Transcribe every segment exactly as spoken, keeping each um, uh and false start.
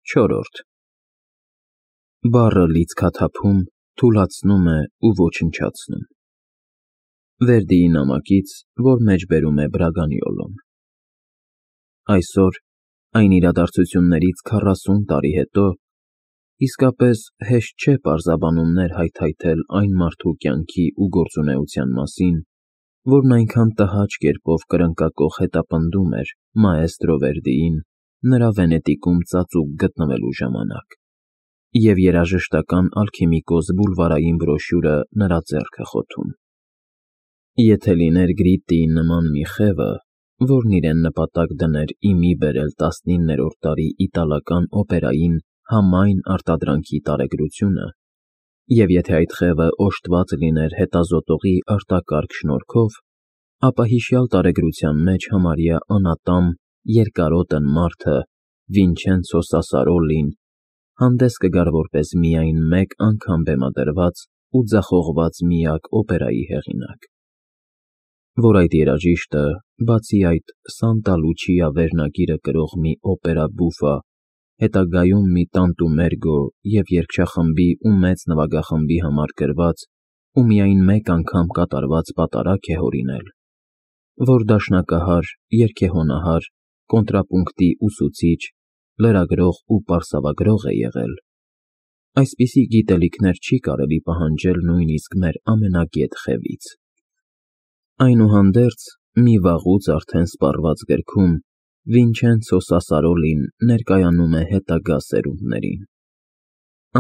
Չորրորդ Բառը լիցքաթափում, թուլացնում է ու ոչնչացնում։ Վերդիի նամակից, որ մեջ բերում է Բրագանյոլոն։ Այսօր, այն իրադարձություններից քառասուն տարի հետո, իսկապես հեշտ չէ պարզաբանումներ հայթայթել այն մարդու կյանքի ու գործունեության մասին, որն այնքան տհաճ կերպով կրնկակոխ հետապնդում էր մաեստրո Վերդիին նրա Վենետիկում ծածուկ գտնվելու ժամանակ, և երաժշտական ալքիմիկոս բուլվարային բրոշյուրը նրա ձեռքը խոթում։ Եթե լիներ Գրիտտիի նման մի խևը, որն իրեն նպատակ դներ ի մի բերել տասնիններորդ դարի իտալական օպերային համայն արտադրանքի տարեգրությունը, և եթե այդ խևը օժտված լիներ հետազոտողի արտակարգ շնորհքով, ապա հիշյալ տարեգրության մեջ համարյա անատամ, երկարոտն մարդը Վինչենցո Սասարոլին հանդես կգար որպես միայն մեկ անգամ բեմադրված ու ձախողված միակ օպերայի հեղինակ, որ այդ երաժիշտը, բացի այդ Սանտա Լուչիա վերնագիրը կրող մի օպերա բուֆա, հետագայում մի տանտու մերգո և երգչախմբի ու մեծ նվագախմբի համար գրված ու միայն մեկ անգամ կատարված պատարագ է հորինել, որ դաշնակահար, երգեհոնահար, կոնտրապունկտի ուսուցիչ, լրագրող ու պարսավագրող է եղել, այսպիսի գիտելիքներ չի կարելի պահանջել նույնիսկ մեր ամենագետ խևից։ Այնուհանդերձ, մի վաղուց արդեն սպառված գրքում Վինչենցո Սասարոլին ներկայանում է հետագա սերունդներին։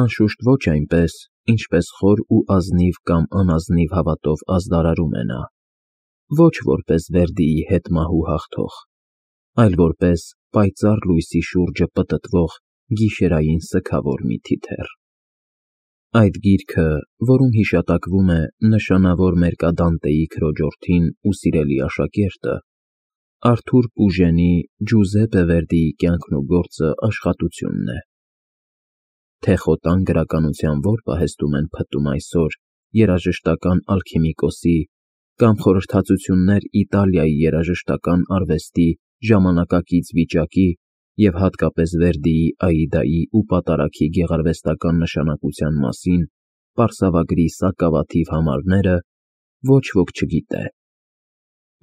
Անշուշտ ոչ այնպես, ինչպես խոր ու ազնիվ կամ անազնիվ հավատով ազդարարում է նա, ոչ որպես Վերդիի հետմահու հաղթող, այլ որպես պայծառ լույսի շուրջը պտտվող գիշերային սգավոր մի թիթեռ։ Այդ գիրքը, որում հիշատակվում է նշանավոր մերկադանտեի քրոջորդին ու սիրելի աշակերտը, Արթուր Պուժենի Ջուզեպպե Վերդիի կյանքն ու գործը աշխատությունն է։ Թե խոտան գրականության որ պահեստում են փտում այսօր երաժշտական ալքիմիկոսի կամ խորհրդածություններ Իտալիայի երաժշտական արվեստի ժամանակակից վիճակի և հատկապես Վերդիի Աիդայի ու պատարագի գեղարվեստական նշանակության մասին պարսավագրի սակավաթիվ համարները, ոչ ոք չգիտե։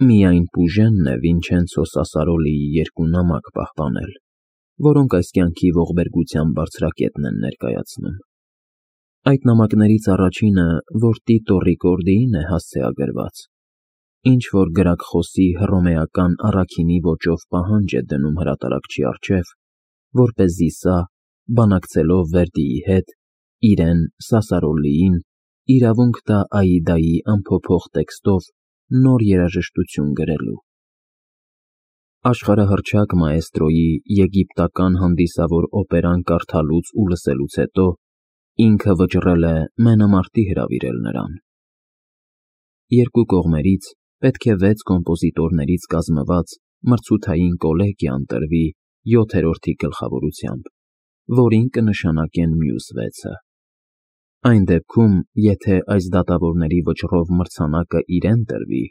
Միայն Պուժենն է Վինչենցո Սասարոլիի երկու նամակ պահպանել, որոնք այս կյանքի ողբերգության բարձրակետն են ներկայացնում։ Այդ նամակներից առաջինը, որ Տիտո Ռիկորդիին է հասցեագրված, ինչ-որ գրաքխոսի հռոմեական առաքինի ոճով պահանջ է դնում հրատարակչի առջև, որպեսզի սա, բանակցելով Վերդիի հետ, իրեն՝ Սասարոլիին, իրավունք տա Աիդայի անփոփոխ տեքստով նոր երաժշտություն գրելու։ Աշխարհահռչակ մաեստրոյի եգիպտական հանդիսավոր օպերան կարդալուց ու լսելուց հետո ինքը վճռել է մենամարտի հրավիրել նրան։ Երկու կողմերից պետք է վեց կոմպոզիտորներից կազմված մրցութային կոլեգիա ընտրվի յոթերորդի գլխավորությամբ, որին կնշանակեն մյուս վեցը։ Այն դեպքում, եթե այս դատավորների վճռով մրցանակը իրեն տրվի,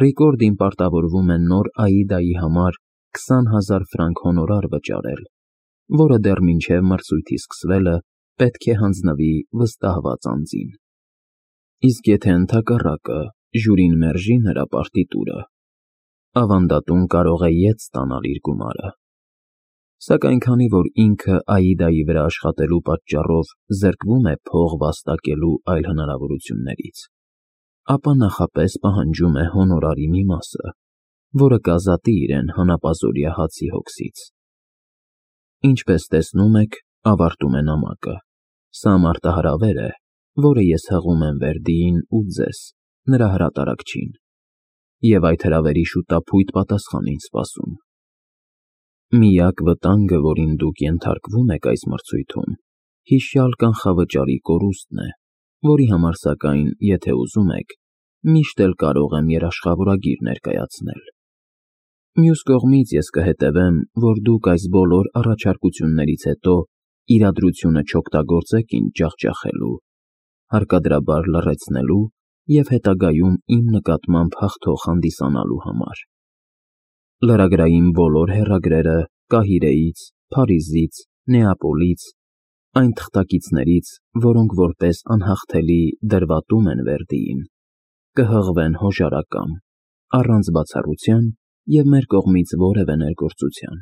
Ռիկորդին պարտավորվում է նոր Աիդայի համար քսան հազար ֆրանկ հոնորար վճարել, որը դեռ մինչև մրցույթի սկսվելը պետք է հանձնվի վստահված անձին։ Իսկ եթե ընդհակառակը ժյուրին մերժի նրա պարտիտուրը, ավանդատուն կարող է ետ ստանալ իր գումարը։ Սակայն քանի որ ինքը Աիդայի վրա աշխատելու պատճառով զրկվում է փող վաստակելու այլ հնարավորություններից, ապա նախապես պահանջում է հոնորարի մի մասը, որը կազատի իրեն հանապազօրյա հացի հոգսից։ Ինչպես տեսնում եք, ավարտում է նամակը, սա մարտահրավեր է, որը ես հղում եմ Վերդիին ու ձեզ, նրա հրատարակչին, և այդ հրավերի շուտափույթ պատասխան ինձ սպասում։ Միակ վտանգը, որին դուք ենթարկվում եք այս մրցույթում, հիշյալ կանխավճարի կորուստն է, որի համար, սակայն, եթե ուզում եք, միշտ էլ կարող եմ երաշխավորագիր ներկայացնել։ Մյուս կողմից ես կհետևեմ, որ դուք այս բոլոր առաջարկություններից հետո իրադրությունը չօգտագործեք ինձ ջախջախելու, հարկադրաբար լռեցնելու և հետագայում իմ նկատմամբ հաղթող հանդիսանալու համար։ Լրագրային բոլոր հեռագրերը Կահիրեից, Փարիզից, Նեապոլից, այն թղթակիցներից, որոնք որպես անհաղթելի դրվատում են Վերդիին, կհղվեն հոժարակամ, առանց բացառության և մեր կողմից որևէ ներգործության։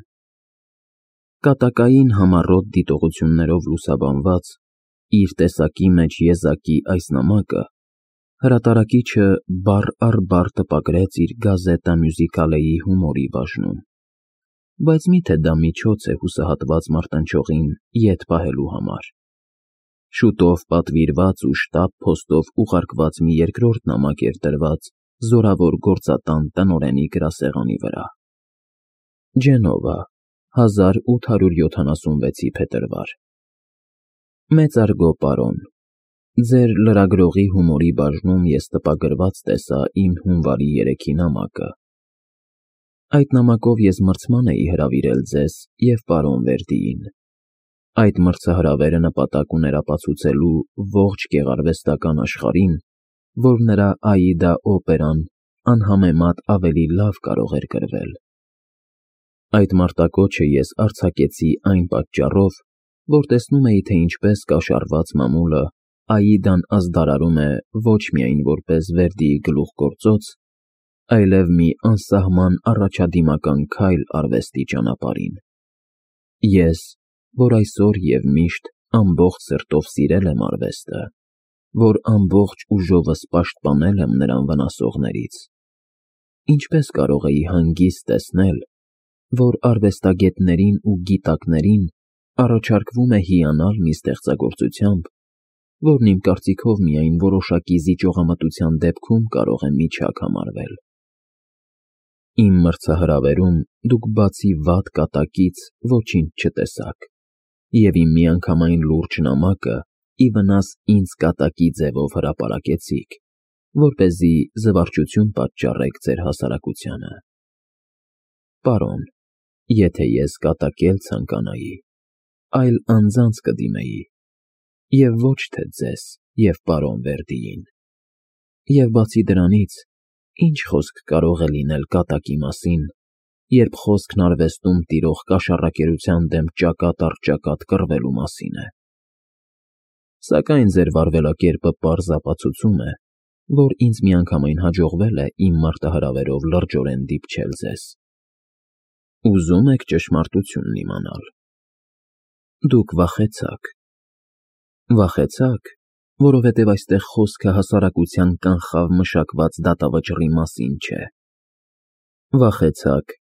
Կատակային համառոտ դիտողություններով լուսաբանված, իր տեսակի մեջ եզակի այս նամակը հրատարակիչը բառ առ բառ տպագրեց իր գազետա մյուզիկալեի հումորի բաժնում, բայց մի՞թե դա միջոց է հուսահատված մարտնչողին ետ պահելու համար։ Շուտով պատվիրված ու շտապ փոստով ուղարկված մի երկրորդ նամակ էր դրված զորավոր գործատան տնօրենի գրասեղանի վրա։ Ջենովա, հազար ութ հարյուր յոթանասունվեցի փետրվար։ Մեծարգո պարոն, ձեր լրագրողի հումորի բաժնում ես տպագրված տեսա իմ հունվարի երեքի նամակը։ Այդ նամակով ես մրցման էի հրավիրել ձեզ և պարոն Վերդիին։ Այդ մրցահրավերը նպատակ ուներ ապացուցելու ողջ գեղարվեստական աշխարհին, որ նրա «Աիդա» օպերան անհամեմատ ավելի լավ կարող էր գրվել։ Այդ մարտակոչը ես արձակեցի այն պատճառով, որ տեսնում էի, թե ինչպես կաշառված մամուլը «Աիդան» ազդարարում է ոչ միայն որպես Վերդիի գլուխգործոց, այլև մի անսահման առաջադիմական քայլ արվեստի ճանապարհին։ Ես, որ այսօր և միշտ ամբողջ սրտով սիրել եմ արվեստը, որ ամբողջ ուժովս պաշտպանել եմ նրան վնասողներից, ինչպես կարող էի հանգիստ տեսնել, որ արվեստագետներին ու գիտակներին առաջարկվում է հիանալ մի ստեղծագործությամբ, որն իմ կարծիքով միայն որոշակի զիջողամտության դեպքում կարող է միջակ համարվել։ Իմ մրցահրավերում դուք բացի վատ կատակից ոչինչ չտեսաք, և իմ միանգամայն լուրջ նամակը ի վնաս ինձ կատակի ձևով հրապարակեցիք, որպեսզի զվարճություն պատճառեք ձեր հասարակությանը։ Պարոն, եթե ես կատակել ցանկանայի, այլ անձանց կդիմեի, և ոչ թե ձեզ և պարոն Վերդիին։ Եվ բացի դրանից, ի՞նչ խոսք կարող է լինել կատակի մասին, երբ խոսքն արվեստում տիրող կաշառակերության դեմ ճակատ առ ճակատ կռվելու մասին է։ Սակայն ձեր վարվելակերպը պարզ ապացուցում է, որ ինձ միանգամայն հաջողվել է իմ մարտահրավերով լրջորեն դիպչել ձեզ։ Ուզում եք ճշմարտությունն իմանալ։ Դուք վախեցաք։ Վախեցաք, որովհետև այստեղ խոսքը հասարակության կանխավ մշակված դատավճռի մասին չէ։ Վախեցաք,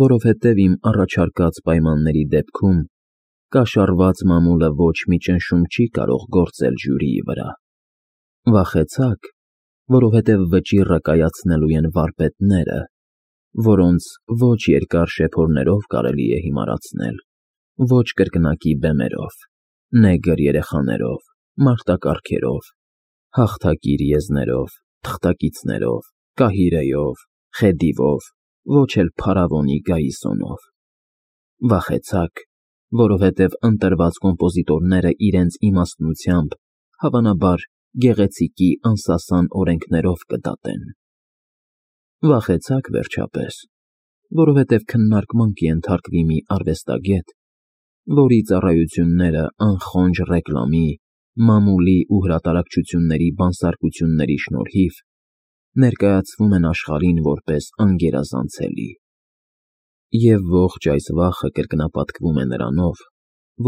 որովհետև իմ առաջարկած պայմանների դեպքում կաշառված մամուլը ոչ մի ճնշում չի կարող գործել ժյուրիի վրա։ Վախեցաք, որովհետև վճիռը կայացնելու են վարպետները, որոնց ոչ երկար շեփորներով կարելի է հիմարացնել, ոչ կրկնակի բեմերով, նեգր երեխաներով, մարտակառքերով, հաղթակիր եզներով, թղթակիցներով, կահիրեով, խեդիվով, ոչ էլ փարավոնի գայիսոնով։ Վախեցաք, որովհետև ընտրված կոմպոզիտորները իրենց իմաստնությամբ, հավանաբար, գեղեցիկի անսասան օրենքներով կդատեն։ Վախեցաք, վերջապես, որովհետև քննարկման կենթարկվի մի արվեստագետ, որի ծառայությունները անխոնջ ռեկլամի, մամուլի ու հրատարակչությունների բանսարկությունների շնորհիվ ներկայացվում են աշխարհին որպես անգերազանցելի։ Եվ ողջ այս վախը կրկնապատկվում է նրանով,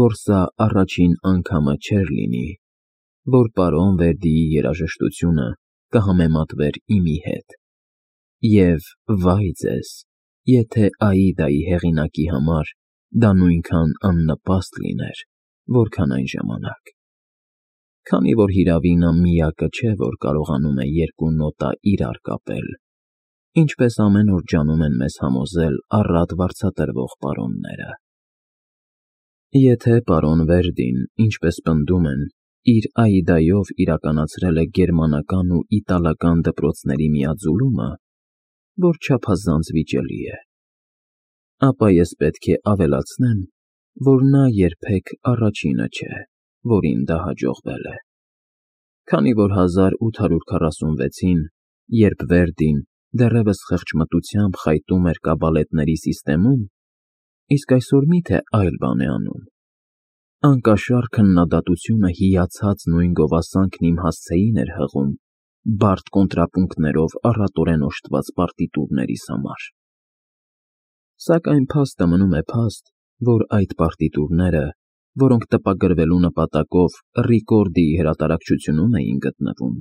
որ սա առաջին անգամը չէր լինի, որ պարոն Վերդիի երաժշտությունը կհամեմատվեր իմի հետ։ Եվ վայ ձեզ, եթե «Աիդայի» հեղինակի համար դա նույնքան աննպաստ լիներ, որքան այն ժամանակ։ Քանի որ հիրավի նա միակը չէ, որ կարողանում է երկու նոտա իրար կապել, ինչպես ամեն օր ջանում են մեզ համոզել առատ վարձատրվող պարոնները։ Եթե պարոն Վերդին, ինչպես պնդում են, իր «Աիդայով» իրականացրել է գերմանական ու իտալական դպրոցների միաձուլումը, որ չափազանց վիճելի է, ապա ես պետք է ավելացնեմ, որ նա երբեք առաջինը չէ, որին դա հաջողվել է։ Քանի որ հազար ութ հարյուր քառասունվեցին, երբ Վերդին դեռևս խեղճմտությամբ խայտում էր կաբալետների սիստեմում, իսկ այսօր մի՞թե այլ բան է անում։ Անկաշար քննադատությունը հիացած նույն գովասանքն իմ հասցեին էր հղում բարդ կոնտրապունկտներով առատորեն օժտված պարտիտուրներիս համար։ Սակայն փաստը մնում է փաստ, որ այդ պարտիտուրները, որոնք տպագրվելու նպատակով Ռիկորդիի հրատարակչությունում էին գտնվում,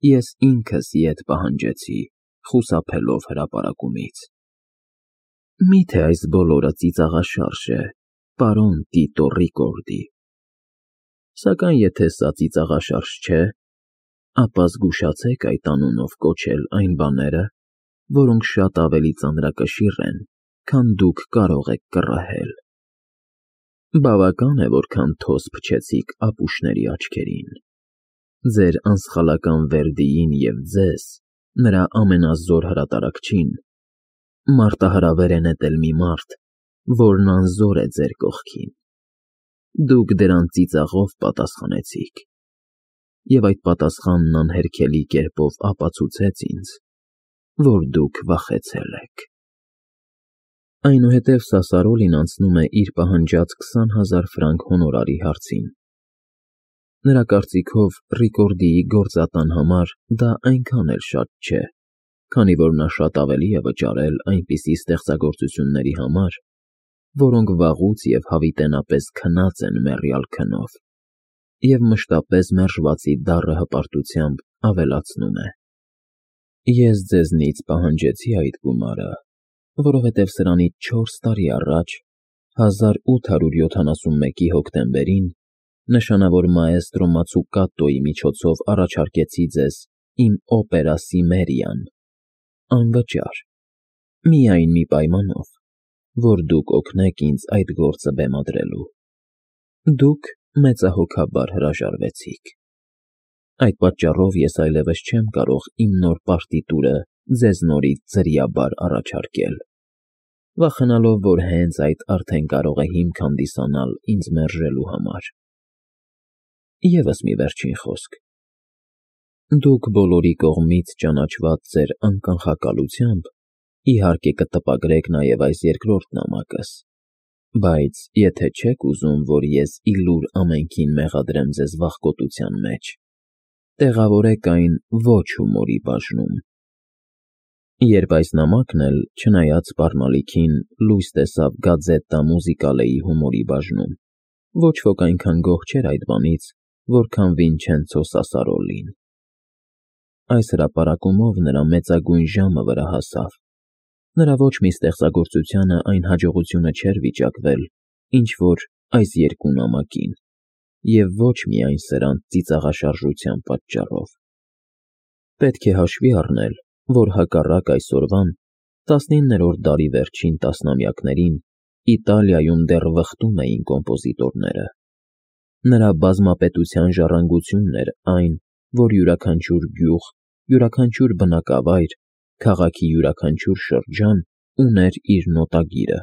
ես ինքս ետ պահանջեցի, խուսափելով հրապարակումից։ Մի՞թե այս բոլորը ծիծաղաշարժ է, պարոն Տիտո Ռիկորդի։ Սակայն եթե սա ծիծաղաշարժ չէ, ապա զգուշացեք այդ անունով կոչել այն բաները, որոնք շատ ավելի ծանրակշիռ են, քան դուք կարող եք կռահել։ Բավական է, որքան թոզ փչեցիք ապուշների աչքերին։ Ձեր անսխալական Վերդիին և ձեզ, նրա ամենազոր հրատարակչին, մարտահրավեր է նետել մի մարդ, որն անզոր է ձեր կողքին։ Դուք դրան ծիծաղով պատասխանեցիք, և այդ պատասխանն անհերքելի կերպով ապացուցեց ինձ, որ դուք վախեցել եք։ Այնուհետև Սասարոլին անցնում է իր պահանջած քսան հազար ֆրանկ հոնորարի հարցին։ Նրա կարծիքով Ռիկորդիի գործատան համար դա այնքան էլ շատ չէ, քանի որ նա շատ ավելի է վճարել այնպիսի ստեղծագործությունների համար, որոնք վաղուց և հավիտենապես քնած են մեռյալ քնով, և մշտապես մերժվածի դառը հպարտությամբ ավելացնում է. Ես ձեզնից պահանջեցի այդ գումարը, որովհետև սրանից չորս տարի առաջ, հազար ութ հարյուր յոթանասունմեկի հոկտեմբերին, նշանավոր մաեստրո Մացուկատոյի միջոցով առաջարկեցի ձեզ իմ օպերա Սիմերիան, անվճար, միայն մի պայմանով, որ դուք օգնեք ինձ այդ գործը բեմադրելու։ Դուք մեծահոգաբար հրաժարվեցիք։ Այդ պատճառով ես այլևս չեմ կարող իմ նոր պարտիտուրը ձեզ նորից ձրիաբար առաջարկել, վախենալով, որ հենց այդ արդեն կարող է հիմք հանդիսանալ ինձ մերժելու համար։ Եվս մի վերջին խոսք. դուք բոլորի կողմից ճանաչված ձեր անկանխակալությամբ, իհարկե կտպագրեք նաև այս երկրորդ նամակս, բայց եթե չեք ուզում, որ ես ի լուր ամենքին մեղադրեմ ձեզ վախկոտության մեջ, տեղավորեք այն ոչ հումորի բաժնում։ Երբ այս նամակն էլ, չնայած սպառնալիքին, լույս տեսավ Գազետտա Մուզիկալեի հումորի բաժնում, ոչ ոք այնքան գոհ չէր այդ բանից, որքան Վինչենցո Սասարոլին։ Այս հրապարակումով նրա մեծագույն ժամը վրա հասավ։ Նրա ոչ մի ստեղծագործությանը այն հաջողությունը չէր վիճակվել, ինչ որ այս երկու նամակին, և ոչ միայն սրանց ծիծաղաշարժության պատճառով։ Պետք է հաշվի առնել, որ հակառակ այսօրվան, տասնիններորդ դարի վերջին տասնամյակներին Իտալիայում դեռ վխտում էին կոմպոզիտորները։ Նրա բազմապետության ժառանգությունն էր այն, որ յուրաքանչյուր գյուղ, յուրաքանչյուր բնակավայր, քաղաքի յուրաքանչյուր շրջան ուներ իր նոտագիրը։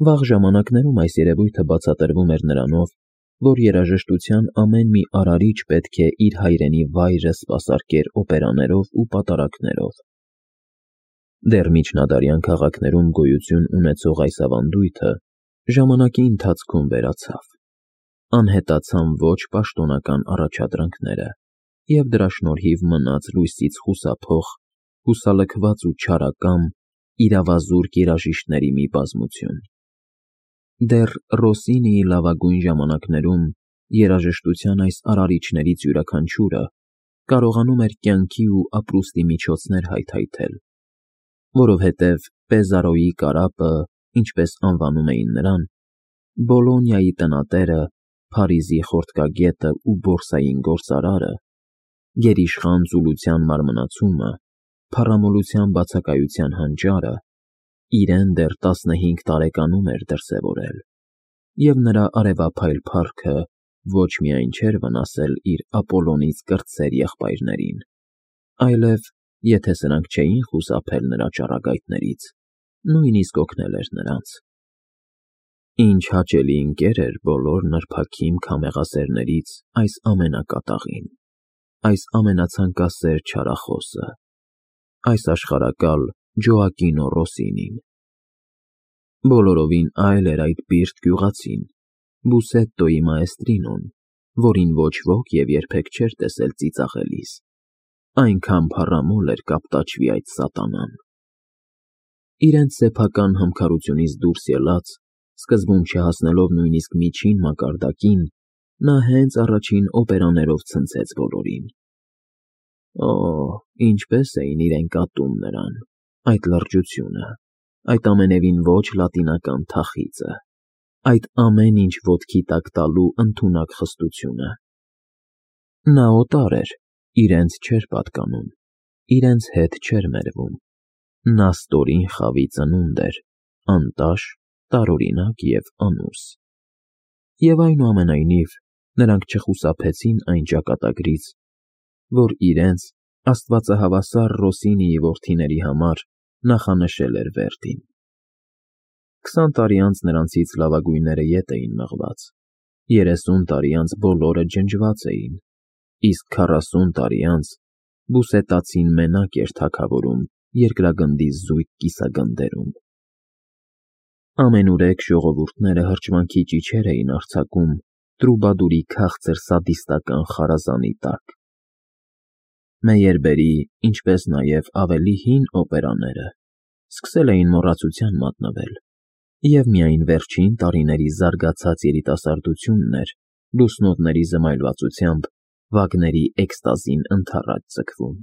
Վաղ ժամանակներում այս երևույթը բացատրվում էր նրանով, որ երաժշտության ամեն մի արարիչ պետք է իր հայրենի վայրը սպասարկեր օպերաներով ու պատարագներով։ Դեռ միջնադարյան քաղաքներում գոյություն ունեցող այս ավանդույթը ժամանակի ընթացքում վերացավ։ Անհետացան ոչ պաշտոնական առաջադրանքները, և դրա շնորհիվ մնաց լույսից խուսափող, հուսալքված ու չարակամ, իրավազուրկ երաժիշտների մի բազմություն։ Դեռ Ռոսինիի լավագույն ժամանակներում երաժշտության այս արարիչներից յուրաքանչյուրը կարողանում էր կյանքի ու ապրուստի միջոցներ հայթայթել, որովհետև Պեզարոյի կարապը, ինչպես անվանում էին նրան, Բոլոնիայի տնատերը, Փարիզի խորտկագետը ու բորսային գործարարը, գերիշխան ծուլության մարմնացումը, փառամոլության բացակայության հանճարը, իրեն դեռ տասնհինգ տարեկանում էր դրսևորել, և նրա արևափայլ փառքը ոչ միայն չէր վնասել իր Ապոլոնից կրտսեր եղբայրներին, այլև, եթե սրանք չէին խուսափել նրա ճառագայթներից, նույնիսկ օգնել էր նրանց։ Ինչ հաճելի ընկեր էր բոլոր նրբաքիմ քամեղասերներից այս ամենակատաղին, այս ամենացանկասեր չարախոսը, այս աշխարհակալ Ջոակինո Ռոսինին։ Բոլորովին այլ էր այդ պիղծ գյուղացին, Բուսետտոյի մաեստրինոն, որին ոչ ոք և երբեք չէր տեսել ծիծաղելիս, այնքան փառամոլ էր կապտաճվի այդ սատանան։ Իրենց սեփական համքարությունից դուրս ելած, սկզբում չհասնելով նույնիսկ միջին մակարդակին, նա հենց առաջին օպերաներով ցնցեց բոլորին։ Օ՜, ինչպես էին իրենք ատում նրան, այդ լրջությունը, այդ ամենևին ոչ լատինական թախիծը, այդ ամեն ինչ ոտքի տակ տալու ընդունակ խստությունը։ Նա օտար էր, իրենց չէր պատկանում, իրենց հետ չէր մերվում։ Նա ստորին խավի ծնունդ էր, անտաշ, տարօրինակ և անուս։ Եվ այնուամենայնիվ, նրանք չխուսափեցին այն ճակատագրից, որ իրենց, աստվածահավասար Ռոսինիի որդիների համար նախանշել էր Վերդին։ Քսան տարի անց նրանցից լավագույնները ետ էին մղված, երեսուն տարի անց բոլորը ջնջված էին, իսկ քառասուն տարի անց բուսետացին մենակ էր թագավորում երկրագնդի զույգ կիսագնդերում։ Ամենուրեք ժողովուրդները հրճվանքի ճիչեր էին արձակում Տրուբադուրի քաղցր սադիստական խարազանի տակ։ Մեյերբերի, ինչպես նաև ավելի հին օպերաները սկսել էին մոռացության մատնվել, և միայն վերջին տարիների զարգացած երիտասարդությունն էր լուսնոտների զմայլվածությամբ Վագների էքստազին ընդառաջ ձգվում։